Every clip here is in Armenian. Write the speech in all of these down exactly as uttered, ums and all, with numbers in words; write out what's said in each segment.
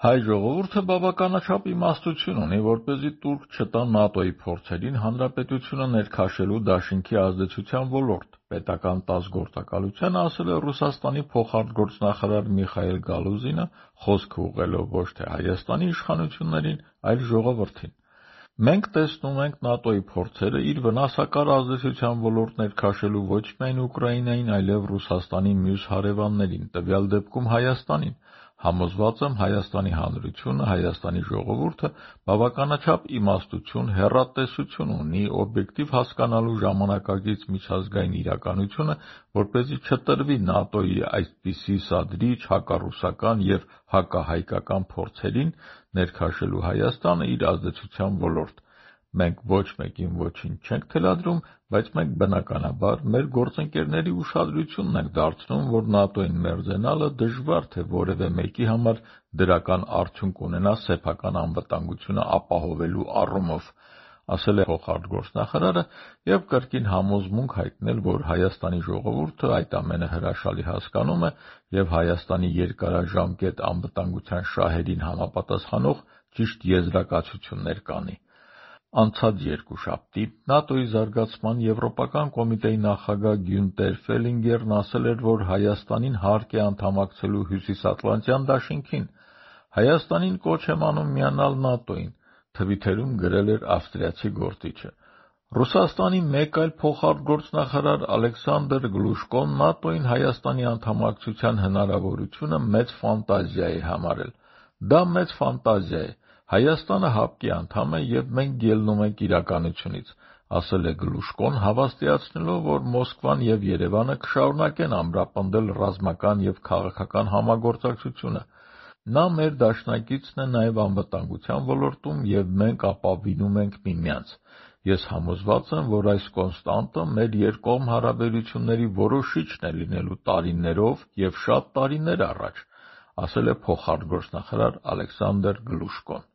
Հայ ժողովուրդը բավականաչափ իմաստություն ունի, որպեսզի տուրք չտա ՆԱՏՕ-ի փորձերին հանրապետությունը ներքաշելու դաշինքի ազդեցության ոլորտ, պետական տասգործակալությանը ասել է Ռուսաստանի փոխարտգործնախարար Միխայիլ Գալուզինը, խոսքը ուղղելով ոչ թե Հայաստանի իշխանություններին, այլ ժողովրդին։ Մենք տեսնում ենք ՆԱՏՕ-ի փորձերը իր վնասակար ազդեցության ոլորտ ներքաշելու ոչ միայն Ուկրաինային, այլև Ռուսաստանի մյուս հարևաններին, տվյալ դեպքում Հայաստանին։ Համոզված եմ Հայաստանի Հանրությունը, Հայաստանի ժողովուրդը բավականաչափ իմաստություն, հեռատեսություն ունի օբյեկտիվ հասկանալու ժամանակակից միջազգային իրականությունը, որպեսզի չտրվի ՆԱՏՕ-ի այսպիսի սադրիչ, հակառուսական և հակահայկական փորձերին ներքաշելու Հայաստանը իր ազդեցության ոլորտ։ Մենք ոչ մեկին ոչինչ չենք թելադրում, բայց մենք բնականաբար մեր գործընկերների ուշադրությունն ենք դարձնում, որ ՆԱՏՕ-ին մերձենալը դժվար թե որևէ մեկի համար դրական արդյունք ունենա սեփական անվտանգությունը ապահովելու առումով, ասել է փոխարտգործնախարարը և կրկին համոզմունք հայտնել, որ Հայաստանի ժողովուրդը այդ ամենը հրաշալի հասկանում է և Հայաստանի երկարաժամկետ անվտանգության շահերին համապատասխանող ճիշտ եզրակացություններ կանի։ Անցած երկուշաբթի ՆԱՏՕ-ի զարգացման եվրոպական կոմիտեի նախագահ Գյունտեր Ֆելինգերն ասել էր, որ Հայաստանին հարկ է անդամակցելու Հյուսիսատլանտյան դաշինքին։ Հայաստանին կոչ եմ անում միանալ ՆԱՏՕ-ին, թվիթերում գրել էր ավստրիացի գործիչը։ Ռուսաստանի մեկ այլ փոխարտգործնախարար Ալեքսանդր Գլուշկոն ՆԱՏՕ-ին Հայաստանի անդամակցության հնարավորությունը մեծ ֆանտազիա է համարել։ Դա մեծ ֆանտազիա է։ Հայաստանը ՀԱՊԿ-ի անդամ է և մենք ելնում ենք իրականությունից, ասել է Գլուշկոն, հավաստիացնելով, որ Մոսկվան և Երևանը կշարունակեն ամրապնդել ռազմական և քաղաքական համագործակցությունը։ Նա մեր դաշնակիցն է նաև անվտանգության ոլորտում և մենք ապավինում ենք միմյանց։ Ես համոզված եմ, որ այս կոնստանտը մեր երկկողմ հարաբերությունների որոշիչն է լինելու տարիներով և շատ տարիներ առաջ, ասել է փոխարտգործնախարար Ալեքսանդր Գլուշկոն։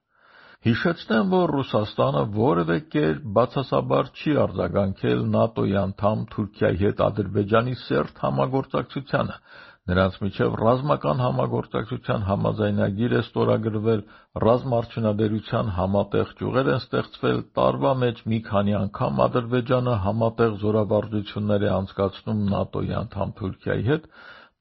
Հիշեցնեմ, որ Ռուսաստանը որևէ կերպ բացասաբար չի արձագանքել ՆԱՏՕ-ի անդամ Թուրքիայի հետ Ադրբեջանի սերտ համագործակցությանը։ Նրանց միջև ռազմական համագործակցության համաձայնագիր է ստորագրվել, ռազմաարդյունաբերության համատեղ ճյուղեր են ստեղծվել, տարվա մեջ մի քանի անգամ Ադրբեջանը համատեղ զորավարժություններ է անցկացնում ՆԱՏՕ-ի անդամ Թուրքիայի հետ,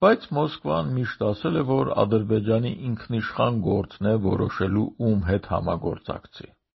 բայց Մոսկվան միշտ ասել է, որ Ադրբեջանի ինքնիշխան գործն է որոշելու ում հետ համագործակցի։